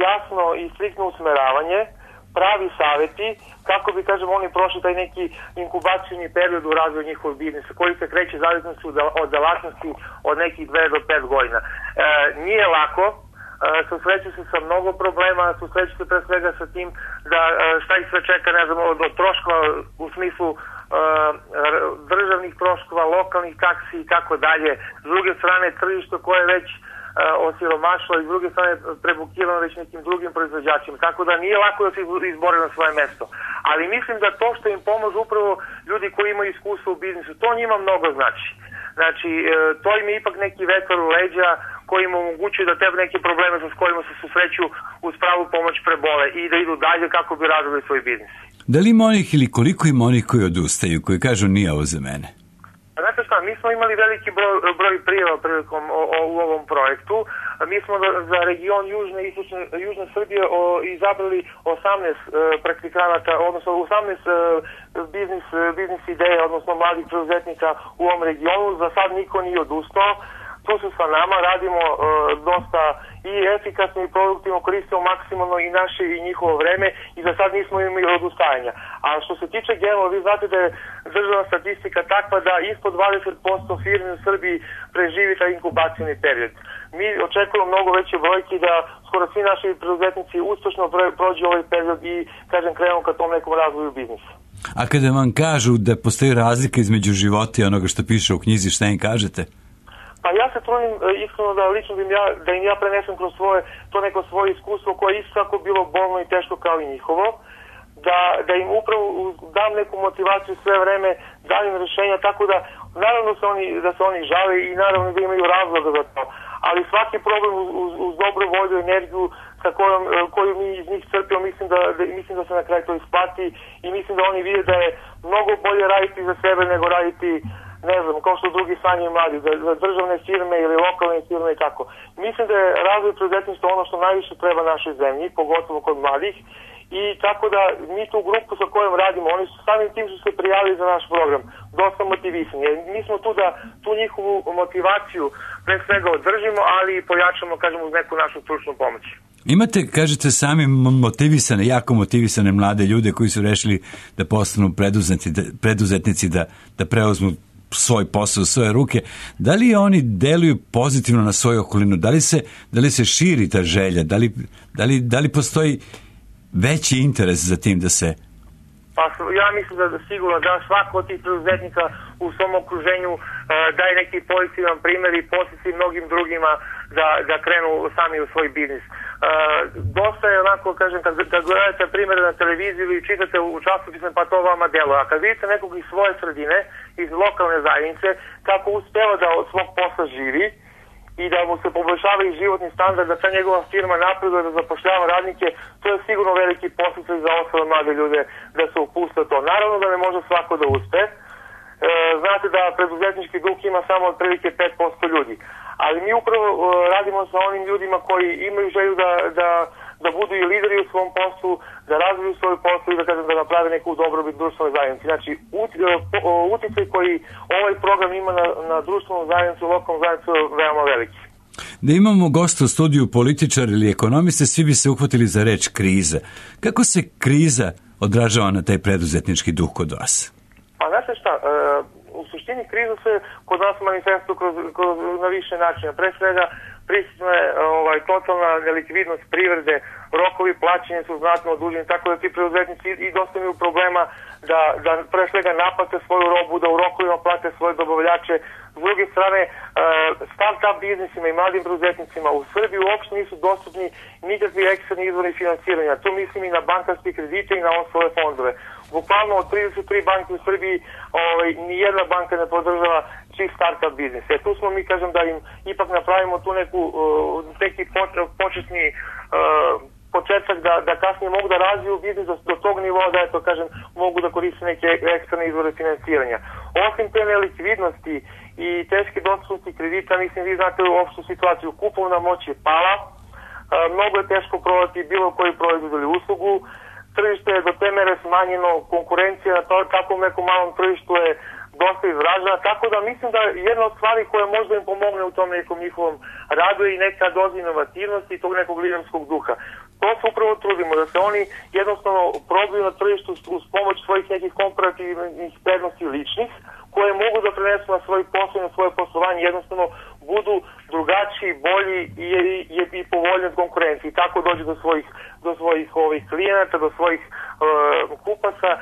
jasno i striktno usmeravanje, pravi saveti, kako bi, kažem, oni prošli taj neki inkubacijni period u razvoju njihovog biznisa, koji se kreće zavisnosti od delatnosti od nekih dve do pet godina. E, nije lako, susreću se sa mnogo problema, susreću se pre svega sa tim da šta ih sve čeka, ne znam, od, od troškova u smislu uh, državnih troškova, lokalnih taksi i tako dalje. S druge strane, tržište koje je već uh, osiromašilo i s druge strane prebukirano već nekim drugim proizvođačima. Tako da nije lako da se izbore na svoje mesto. Ali mislim da to što im pomožu upravo ljudi koji imaju iskustvo u biznisu, to njima mnogo znači. Znači, to im je ipak neki vetar u leđa koji im omogućuje da te neke probleme sa kojima se susreću uz pravu pomoć prebole i da idu dalje kako bi razvili svoj biznis. Da li ima onih ili koliko ima onih koji odustaju, koji kažu nije ovo za mene? Znate šta, mi smo imali veliki broj, broj prijava prilikom o, o, u ovom projektu. Mi smo za region Južne i Istočne Južne Srbije o, izabrali osamnaest e, praktikanata, odnosno osamnaest e, biznis, biznis ideja, odnosno mladih preduzetnika u ovom regionu. Za sad niko nije odustao. tu su sa nama, radimo uh, dosta i efikasno i produktivno, koristimo maksimalno i naše i njihovo vreme i za sad nismo imali odustajanja. A što se tiče genova, vi znate da je državna statistika takva da ispod dvadeset posto firmi u Srbiji preživi taj inkubacijni period. Mi očekujemo mnogo veće brojke da skoro svi naši preduzetnici uspešno prođu ovaj period i, kažem, krenemo ka tom nekom razvoju biznisa. A kada vam kažu da postoji razlika između života i onoga što piše u knjizi, šta im kažete? Pa ja se trudim iskreno da lično da im ja, da im ja prenesem kroz svoje, to neko svoje iskustvo koje je isto tako bilo bolno i teško kao i njihovo, da, da im upravo dam neku motivaciju sve vreme, danim rješenja, tako da naravno se oni, da se oni žale i naravno da imaju razloga za to, ali svaki problem uz, uz, uz dobru volju, energiju sa kojom, koju mi iz njih crpimo, mislim da, da, mislim da se na kraju to isplati i mislim da oni vide da je mnogo bolje raditi za sebe nego raditi, ne znam, kao što drugi sanjaju mladi, za, za državne firme ili lokalne firme i tako. Mislim da je razvoj preduzetništva ono što najviše treba našoj zemlji, pogotovo kod mladih, i tako da mi tu grupu sa kojom radimo, oni su samim tim su se prijavili za naš program, dosta motivisani. Mi smo tu da tu njihovu motivaciju pre svega održimo, ali i pojačamo, kažemo, uz neku našu stručnu pomoć. Imate, kažete, sami motivisane, jako motivisane mlade ljude koji su rešili da postanu preduzetnici, da, preduzetnici, da, da preuzmu svoj posao u svoje ruke. Da li oni deluju pozitivno na svoju okolinu? Da li se, da li se širi ta želja? Da li, da li, da li postoji veći interes za tim da se... Pa ja mislim da, da sigurno da svako od tih preduzetnika u svom okruženju uh, daje neki pozitivan primjer i posjeti mnogim drugima da, da krenu sami u svoj biznis. Uh, dosta je onako, kažem, kad, kad gledate primjere na televiziju ili čitate u časopisima, pa to vama deluje. A kad vidite nekog iz svoje sredine, iz lokalne zajednice, kako uspeva da od svog posla živi i da mu se poboljšava i životni standard, da ta njegova firma napreduje, da zapošljava radnike, to je sigurno veliki posticaj za ostale mlade ljude da se upuste to. Naravno da ne može svako da uspe. E, znate da preduzetnički duh ima samo otprilike pet posto ljudi. Ali mi upravo e, radimo sa onim ljudima koji imaju želju da, da, da budu i lideri u svom poslu, da razviju svoj posao i da, kažem, da naprave neku dobrobit društvenoj zajednici. Znači, uticaj koji ovaj program ima na, na društvenu zajednicu, lokalnu zajednicu je veoma veliki. Da imamo gosta u studiju, političar ili ekonomiste, svi bi se uhvatili za reč kriza. Kako se kriza odražava na taj preduzetnički duh kod vas? Pa znate šta, e, u suštini kriza se kod nas manifestuje kroz, kroz, na više načina. Pre svega prisutna je ovaj, totalna nelikvidnost privrede, rokovi plaćanja su znatno oduženi, tako da ti preduzetnici i dosta imaju problema da, da pre svega naplate svoju robu, da u rokovima plate svoje dobavljače. S druge strane, start-up biznisima i mladim preduzetnicima u Srbiji uopšte nisu dostupni nikakvi eksterni izvori financiranja. Tu mislim i na bankarske kredite i na ostale fondove. Bukvalno od trideset tri banke u Srbiji ovaj, nijedna banka ne podržava čist start-up biznis. E, tu smo mi, kažem, da im ipak napravimo tu neku, uh, neki početni uh, početak da, da kasnije mogu da razviju biznis do, do tog nivoa da, eto, kažem, mogu da koriste neke eksterne izvore financiranja. Osim te nelikvidnosti i teške dostupnosti kredita, mislim, vi znate u opštu situaciju, kupovna moć je pala, uh, mnogo je teško prodati bilo koji proizvod ili uslugu, tržište je do te mere smanjeno, konkurencija na to, takvom nekom malom tržištu je dosta izražena, tako da mislim da jedna od stvari koja možda im pomogne u tom nekom njihovom radu je i neka doza inovativnosti i tog nekog liderskog duha. To se upravo trudimo, da se oni jednostavno probaju na tržištu uz pomoć svojih nekih komparativnih prednosti ličnih, koje mogu da prenesu na svoj posao i na svoje poslovanje, jednostavno budu drugačiji, bolji i, i, i povoljni od konkurencije. I tako dođe do svojih, do svojih ovih klijenata, do svojih uh, kupaca. Uh,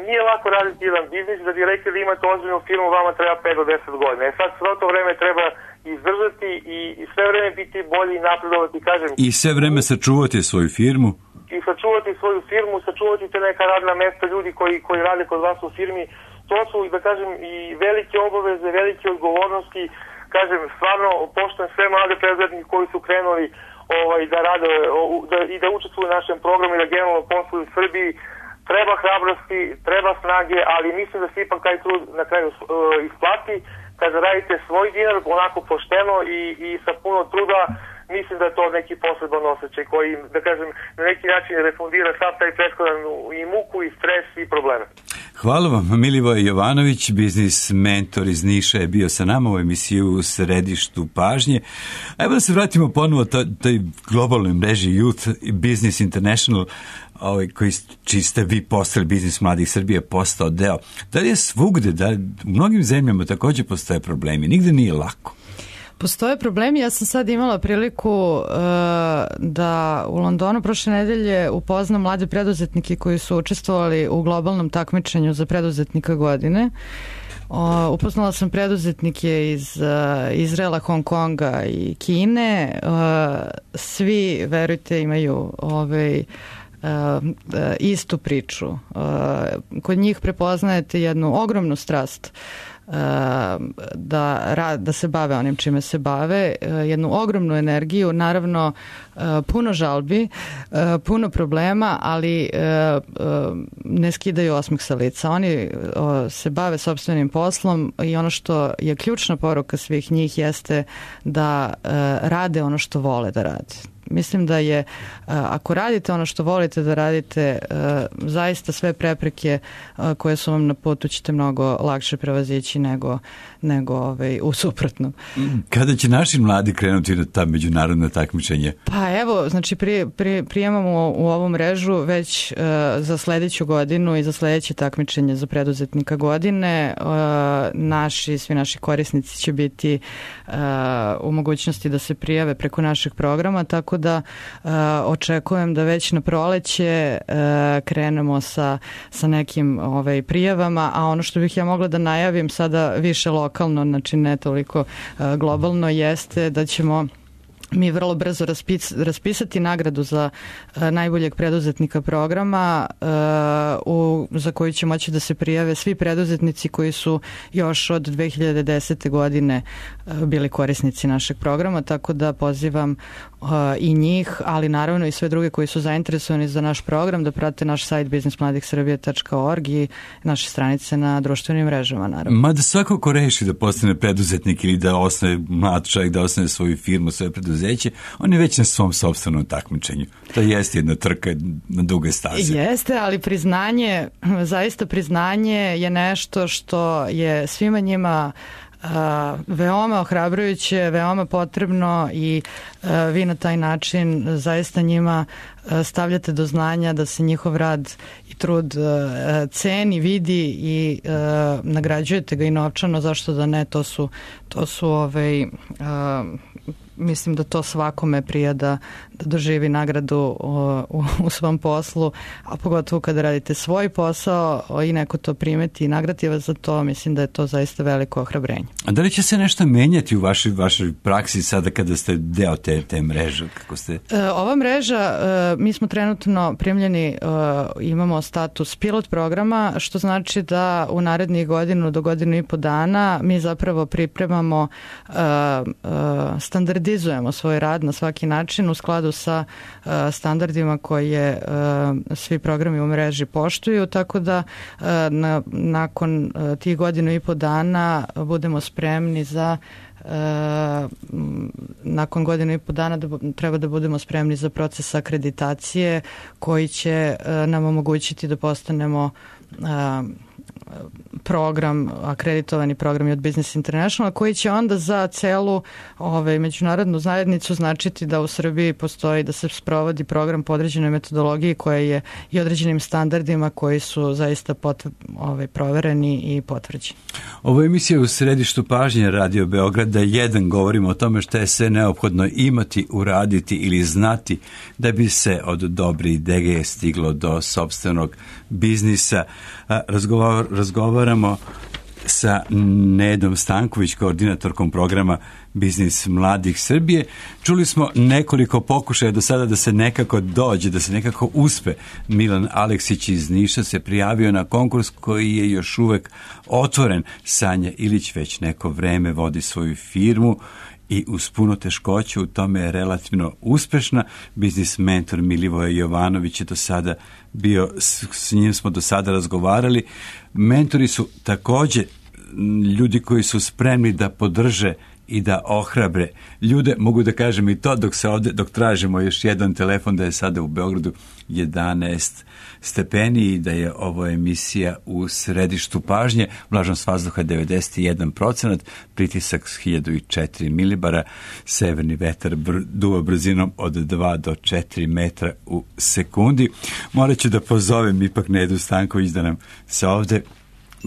nije lako raditi jedan biznis, da bi rekli da imate ozbiljnu firmu, vama treba pet do deset godina. E sad sve to vreme treba izdržati i, i sve vreme biti bolji i napredovati, kažem. I sve vreme sačuvati svoju firmu. I sačuvati svoju firmu, sačuvati te neka radna mesta, ljudi koji, koji rade kod vas u firmi. To su, da kažem, i velike obaveze, velike odgovornosti. Kažem, stvarno poštujem sve mlade preduzetnike koji su krenuli ovaj, da rade da, i da učestvuju u našem programu i da generalno posluju u Srbiji. Treba hrabrosti, treba snage, ali mislim da se ipak taj trud na kraju uh, isplati. Kada radite svoj dinar onako pošteno i, i sa puno truda, mislim da je to neki poseban osjećaj koji, da kažem, na neki način refundira sav taj prethodan i muku, i stres, i probleme. Hvala vam. Milivoj Jovanović, biznis mentor iz Niša, je bio sa nama u emisiju u središtu pažnje. A evo da se vratimo ponovo toj, toj globalnoj mreži Youth Business International, ovaj, koji, čiji ste vi postali Biznis mladih Srbije, postao deo. Da li je svugde, da u mnogim zemljama također postoje problemi, nigde nije lako? Postoje problemi. Ja sam sad imala priliku uh, da u Londonu prošle nedelje upoznam mlade preduzetnike koji su učestvovali u globalnom takmičenju za preduzetnika godine. Uh, upoznala sam preduzetnike iz uh, Izraela, Hong Konga i Kine. Uh, svi, verujte, imaju ovaj, uh, uh, istu priču. Uh, kod njih prepoznajete jednu ogromnu strast da, da se bave onim čime se bave, jednu ogromnu energiju, naravno puno žalbi, puno problema, ali ne skidaju osmeh sa lica. Oni se bave sopstvenim poslom i ono što je ključna poruka svih njih jeste da rade ono što vole da rade. Mislim da je, ako radite ono što volite da radite, zaista sve prepreke koje su vam na putu ćete mnogo lakše prevazići nego, nego ovaj, u suprotnom. Kada će naši mladi krenuti na ta međunarodna takmičenja? Pa evo, znači pri, pri, prijemamo u ovu mrežu već uh, za sledeću godinu i za sledeće takmičenje za preduzetnika godine. Uh, naši, svi naši korisnici će biti uh, u mogućnosti da se prijave preko našeg programa, tako da uh, očekujem da već na proleće uh, krenemo sa, sa nekim ovaj, prijavama, a ono što bih ja mogla da najavim sada više lokalno, znači ne toliko uh, globalno, jeste da ćemo mi vrlo brzo raspis, raspisati nagradu za uh, najboljeg preduzetnika programa uh, u, za koju će moći da se prijave svi preduzetnici koji su još od dve hiljade desete. godine uh, bili korisnici našeg programa, tako da pozivam uh, i njih, ali naravno i sve druge koji su zainteresovani za naš program da prate naš sajt biznis mladih srbije tačka org i naše stranice na društvenim mrežama, naravno. Mada svako ko reši da postane preduzetnik ili da osnoje mlad čovjek, da osnoje svoju firmu, svoje preduzetnik, on je već na svom sopstvenom takmičenju. To jeste jedna trka na duge staze. Jeste, ali priznanje, zaista priznanje je nešto što je svima njima uh, veoma ohrabrujuće, veoma potrebno i uh, vi na taj način zaista njima uh, stavljate do znanja da se njihov rad i trud uh, ceni, vidi i uh, nagrađujete ga i novčano, zašto da ne, to su, to su ovaj, uh, mislim da to svakome prija da, da doživi nagradu u, u svom poslu, a pogotovo kada radite svoj posao i neko to primeti i nagradi vas za to, mislim da je to zaista veliko ohrabrenje. A da li će se nešto menjati u vašoj, vašoj praksi sada kada ste deo te, te mreže? Kako ste? E, ova mreža, e, mi smo trenutno primljeni, e, imamo status pilot programa, što znači da u narednih godinu do godinu i po dana mi zapravo pripremamo e, e, standardizujemo svoj rad na svaki način u skladu sa uh, standardima koje uh, svi programi u mreži poštuju, tako da uh, na, nakon uh, tih godinu i po dana budemo spremni za uh, nakon godinu i po dana da, treba da budemo spremni za proces akreditacije koji će uh, nam omogućiti da postanemo uh, program, akreditovani program od Business International, koji će onda za celu ovaj, međunarodnu zajednicu značiti da u Srbiji postoji, da se sprovodi program po određenoj metodologiji koja je i određenim standardima koji su zaista pot, ovaj, provereni i potvrđeni. Ovo je emisija u središtu pažnje Radio Beograda. Jedan, govorimo o tome što je sve neophodno imati, uraditi ili znati da bi se od dobre ideje stiglo do sopstvenog biznisa. Razgovar, razgovaramo sa Nedom Stanković, koordinatorkom programa Biznis mladih Srbije. Čuli smo nekoliko pokušaja do sada da se nekako dođe, da se nekako uspe. Milan Aleksić iz Niša se prijavio na konkurs koji je još uvek otvoren. Sanja Ilić već neko vreme vodi svoju firmu i uz puno teškoća u tome je relativno uspešna. Biznis mentor Milivoje Jovanović je do sada bio, s njim smo do sada razgovarali. Mentori su također ljudi koji su spremni da podrže i da ohrabre ljude. Mogu da kažem i to dok se ovde, dok tražimo još jedan telefon, da je sada u Beogradu jedanaest stepeni i da je ovo emisija u središtu pažnje. Vlažnost vazduha devedeset jedan procenat, pritisak hiljadu četiri milibara, severni vetar br duva brzinom od dva do četiri metra u sekundi. Morat ću da pozovem ipak Nedu Stanković da nam se ovde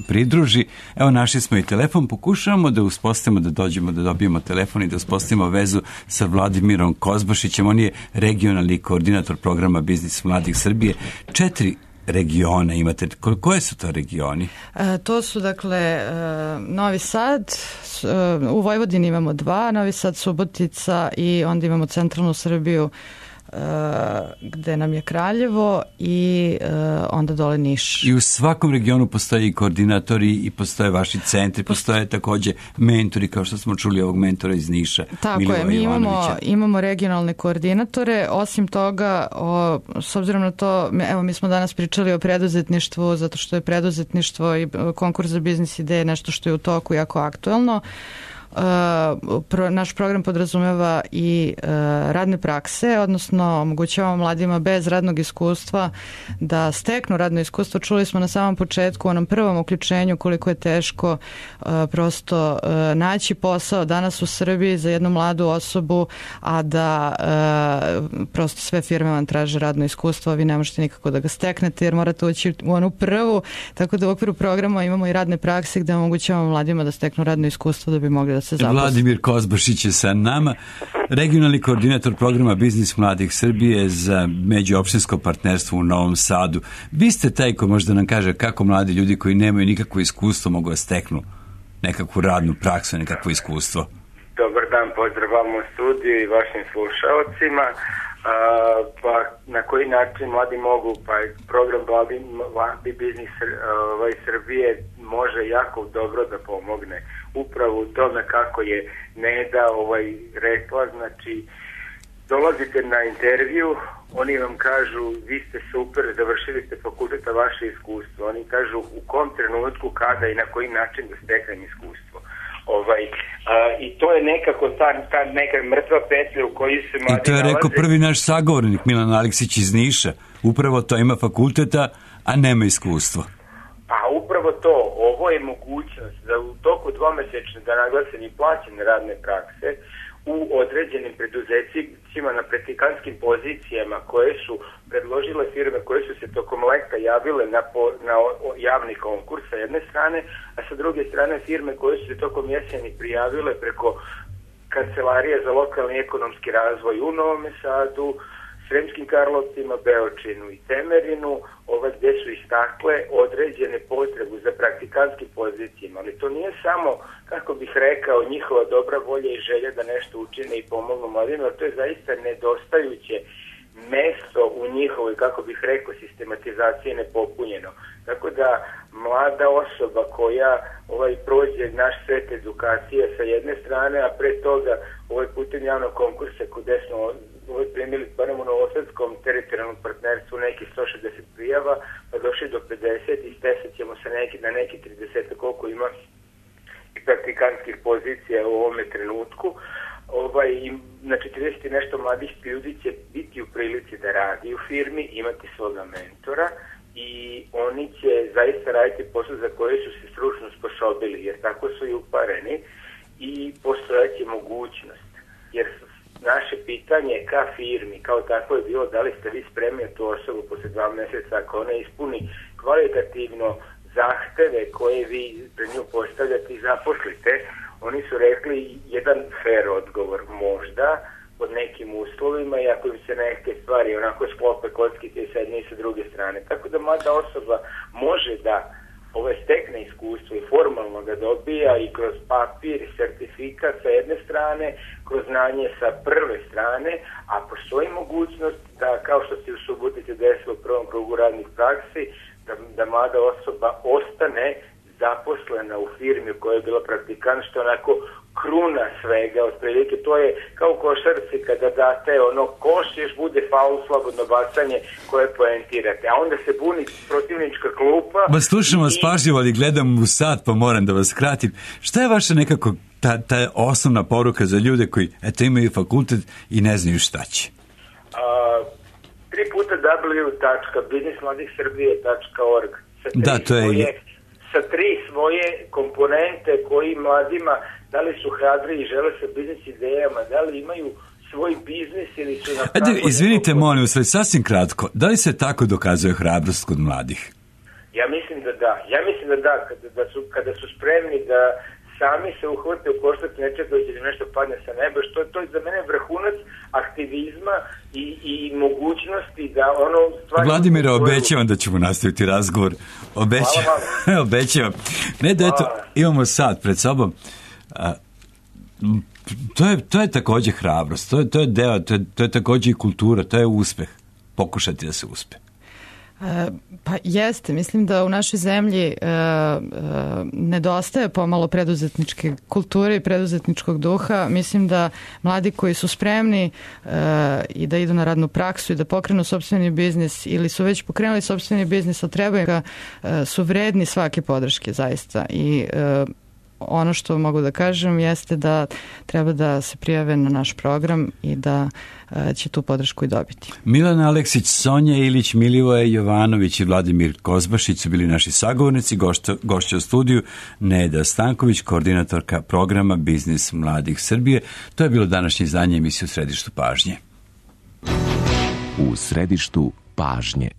pridruži. Evo, našli smo i telefon, pokušavamo da uspostavimo, da dođemo, da dobijemo telefon i da uspostavimo vezu sa Vladimirom Kozbašićem. On je regionalni koordinator programa Biznis mladih Srbije. Četiri regiona imate. Koje su to regioni? E, to su, dakle, e, Novi Sad, e, u Vojvodini imamo dva, Novi Sad, Subotica i onda imamo centralnu Srbiju, gde nam je Kraljevo i uh, onda dole Niš. I u svakom regionu postoje i koordinatori i postoje vaši centri, postoje takođe mentori, kao što smo čuli ovog mentora iz Niša. Tako Milivoja je, mi imamo, Ivanovića. imamo regionalne koordinatore. Osim toga, o, s obzirom na to, evo mi smo danas pričali o preduzetništvu, zato što je preduzetništvo i konkurs za biznis ideje nešto što je u toku jako aktuelno. Uh, pro, naš program podrazumeva i uh, radne prakse, odnosno omogućavamo mladima bez radnog iskustva da steknu radno iskustvo. Čuli smo na samom početku, u onom prvom uključenju, koliko je teško uh, prosto uh, naći posao danas u Srbiji za jednu mladu osobu, a da uh, prosto sve firme vam traže radno iskustvo, a vi ne možete nikako da ga steknete jer morate ući u onu prvu, tako da u okviru programa imamo i radne prakse gde omogućavamo mladima da steknu radno iskustvo da bi mogli da se zaposle. Vladimir Kozbašić je sa nama, regionalni koordinator programa Biznis mladih Srbije za međuopštinsko partnerstvo u Novom Sadu. Vi ste taj ko možda nam kaže kako mladi ljudi koji nemaju nikakvo iskustvo mogu da steknu nekakvu radnu praksu, nekakvo iskustvo. Dobar dan, pozdrav vam u studiju i vašim slušalcima. Uh, pa na koji način mladi mogu, pa program Mladi, mladi biznis ovaj, Srbije može jako dobro da pomogne upravo u tome kako je Neda ovaj, rekla, znači dolazite na intervju, oni vam kažu vi ste super, završili ste fakulteta, vaše iskustvo, oni kažu u kom trenutku, kada i na koji način da steknem iskustvo. Ovaj, a, i to je nekako ta, ta neka mrtva petlja u kojoj se mladi nalaze. I to je rekao prvi naš sagovornik Milan Aleksić iz Niša. Upravo to, ima fakulteta, a nema iskustva. Pa upravo to, ovo je mogućnost da u toku dvomesečne, da naglasen i plaćene radne prakse u određenim preduzećima na praktikanskim pozicijama koje su predložile firme koje su se tokom leta javile na, po, na javni konkurs sa jedne strane, a sa druge strane firme koje su se tokom jeseni prijavile preko Kancelarije za lokalni ekonomski razvoj u Novom Sadu, Sremskim Karlovcima, Beočinu i Temerinu, ovaj, gde su istakle određene potrebu za praktikanskim pozicijama, ali to nije samo, kako bih rekao, njihova dobra volja i želja da nešto učine i pomognu mladima, to je zaista nedostajuće mesto u njihovoj, kako bih rekao, sistematizaciji nepopunjeno. Tako da mlada osoba koja ovaj prođe naš set edukacije sa jedne strane, a pre toga ovaj putem javnog konkursa gde smo ovaj primili barem u Novosadskom teritorijalnom partnerstvu neki sto šezdeset prijava, pa došli do pedeset i stesat ćemo se neki, na neki trideset koliko ima i praktikantskih pozicija u ovome trenutku. Ovaj, na četrdeset i nešto mladih ljudi će biti u prilici da radi u firmi, imati svoga mentora i oni će zaista raditi posao za koje su se stručno sposobili, jer tako su i upareni i postojaće mogućnost. Jer naše pitanje ka firmi, kao tako je bilo, da li ste vi spremni tu osobu posle dva meseca, ako ona ispuni kvalitativno zahteve koje vi pred nju postavljate i zaposlite, oni su rekli jedan fair odgovor, možda, pod nekim uslovima i ako im se neke stvari onako sklope kockite i sedne i sa druge strane. Tako da mlada osoba može da ove stekne iskustvo i formalno ga dobija i kroz papir i sertifikat sa jedne strane, kroz znanje sa prve strane, a postoji mogućnost da, kao što se u Subotici desilo u prvom krugu radnih praksi, da, da mlada osoba ostane zaposlena u firmi u kojoj je bila praktikant, što onako kruna svega, otprilike to je kao u košarci kada date ono koš, još bude faul, slobodno bacanje koje poentirate, a onda se buni protivnička klupa. Ba slušam vas i... pažljivo, ali gledam u sat pa moram da vas kratim. Šta je vaša nekako ta, ta osnovna poruka za ljude koji eto imaju fakultet i ne znaju šta će? A, tri puta w tačka biznis mladih srbije tačka org Da, to je... Svoje, sa tri svoje komponente koji mladima, da li su hrabri i žele sa biznis idejama, da li imaju svoj biznis ili su na pragu... Ajde, izvinite, nekog... molim vas, sasvim kratko, da li se tako dokazuje hrabrost kod mladih? Ja mislim da da. Ja mislim da da, kada, da su, kada su spremni da sami se uhvate u koštac nečega da će nešto padne sa neba, što je to za mene vrhunac aktivizma i, i mogućnosti da ono... Vladimira, obećavam da ćemo nastaviti razgovor. Obećavam. Obećavam. Ne da eto, imamo sat pred sobom. A, to, je, to je takođe hrabrost, to je, to je deo, to je, to je takođe i kultura, to je uspeh. Pokušati da se uspe. E, pa jeste, mislim da u našoj zemlji e, e, nedostaje pomalo preduzetničke kulture i preduzetničkog duha. Mislim da mladi koji su spremni e, i da idu na radnu praksu i da pokrenu sopstveni biznis ili su već pokrenuli sopstveni biznis, a trebaju ga, e, su vredni svake podrške zaista i e, ono što mogu da kažem jeste da treba da se prijave na naš program i da će tu podršku i dobiti. Milana Aleksić, Sonja Ilić, Milivoje Jovanović i Vladimir Kozbašić su bili naši sagovornici, gošća u studiju Neda Stanković, koordinatorka programa Biznis mladih Srbije. To je bilo današnje izdanje emisije U središtu pažnje. U središtu pažnje.